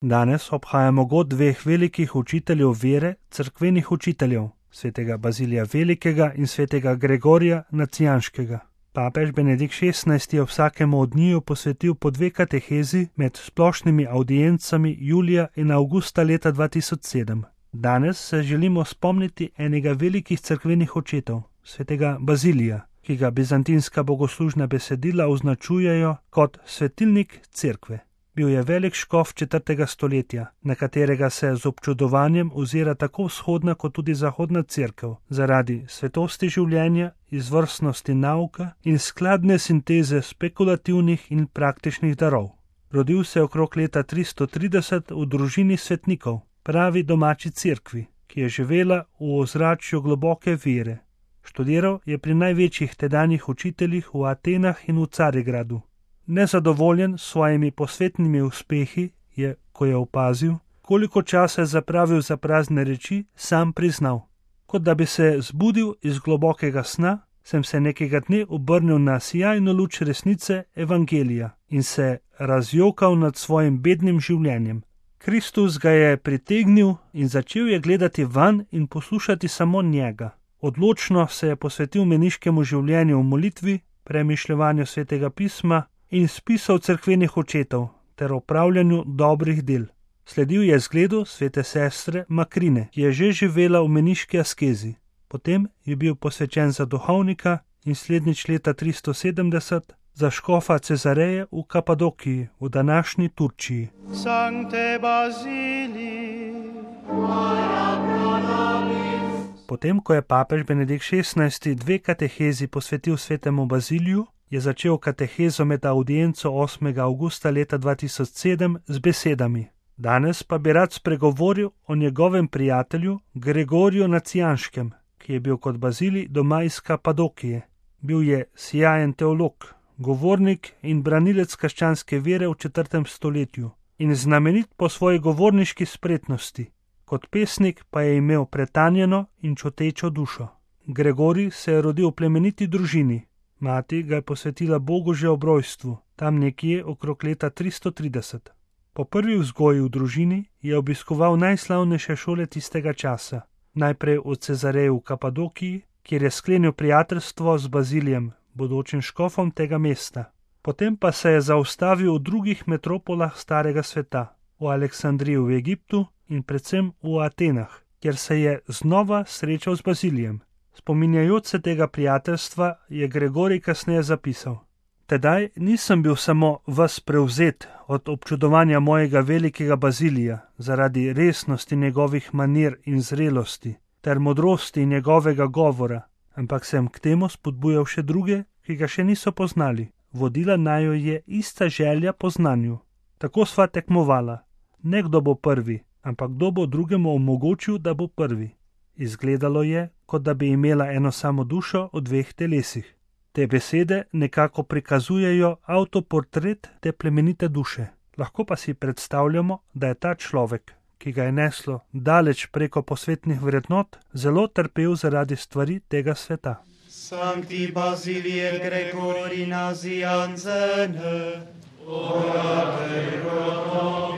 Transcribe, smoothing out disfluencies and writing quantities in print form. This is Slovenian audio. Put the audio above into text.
Danes obhajamo god dveh velikih učiteljev vere, cerkvenih učiteljev, svetega Bazilija Velikega in svetega Gregorija Nacijanskega. Papež Benedikt XVI je vsakemu od njiju posvetil po 2 katehezi med splošnimi audiencami julija in avgusta leta 2007. Danes se želimo spomniti enega velikih cerkvenih očetov, svetega Bazilija, ki ga bizantinska bogoslužna besedila označujejo kot svetilnik cerkve. Bil je velik škof 4. stoletja, na katerega se z občudovanjem ozira tako vzhodna kot tudi zahodna cerkev, zaradi svetosti življenja, izvrstnosti nauka in skladne sinteze spekulativnih in praktičnih darov. Rodil se je okrog leta 330 v družini svetnikov, pravi domači cerkvi, ki je živela v ozračju globoke vere. Študiral je pri največjih tedanjih učiteljih v Atenah in v Carigradu. Nezadovoljen s svojimi posvetnimi uspehi je, ko je opazil, koliko časa je zapravil za prazne reči, sam priznal. Kot da bi se zbudil iz globokega sna, sem se nekega dne obrnil na sijajno luč resnice evangelija in se razjokal nad svojim bednim življenjem. Kristus ga je pritegnil in začel je gledati vanj in poslušati samo njega. Odločno se je posvetil meniškemu življenju v molitvi, premišljevanju svetega pisma in spisov cerkvenih očetov ter opravljanju dobrih del. Sledil je zgledu svete sestre Makrine, ki je že živela v meniški askezi. Potem je bil posvečen za duhovnika in slednjič leta 370 za škofa Cezareje v Kapadokiji, v današnji Turčiji. Sancte Bazilii, Potem, ko je papež Benedikt XVI 2 katehezi posvetil svetemu Baziliju, je začel katehezo med audienco 8. avgusta leta 2007 z besedami. Danes pa bi rad spregovoril o njegovem prijatelju Gregoriju Nacijanskem, ki je bil kot Bazilij doma iz Kapadokije. Bil je sijajen teolog, govornik in branilec krščanske vere v 4. stoletju in znamenit po svoji govorniški spretnosti. Kot pesnik pa je imel pretanjeno in čutečo dušo. Gregorij se je rodil v plemeniti družini. Mati ga je posvetila Bogu že ob rojstvu, tam nekje okrog leta 330. Po prvi vzgoji v družini je obiskoval najslavnejše šole tistega časa. Najprej v Cezareji v Kapadokiji, kjer je sklenil prijateljstvo z Bazilijem, bodočim škofom tega mesta. Potem pa se je zaustavil v drugih metropolah starega sveta, v Aleksandriji v Egiptu in predvsem v Atenah, kjer se je znova srečal z Bazilijem. Spominjajoč se tega prijateljstva je Gregorij kasneje zapisal: Tedaj nisem bil samo ves prevzet od občudovanja mojega velikega Bazilija zaradi resnosti njegovih manir in zrelosti ter modrosti njegovega govora, ampak sem k temu spodbujal še druge, ki ga še niso poznali. Vodila naju je ista želja po znanju. Tako sva tekmovala. Ne kdo bo prvi, ampak kdo bo drugemu omogočil, da bo prvi. Izgledalo je, kot da bi imela eno samo dušo v 2 telesih. Te besede nekako prikazujejo avtoportret te plemenite duše. Lahko pa si predstavljamo, da je ta človek, ki ga je neslo daleč preko posvetnih vrednot, zelo trpel zaradi stvari tega sveta. Sancti Basilie Gregori Nazianzene, ora pro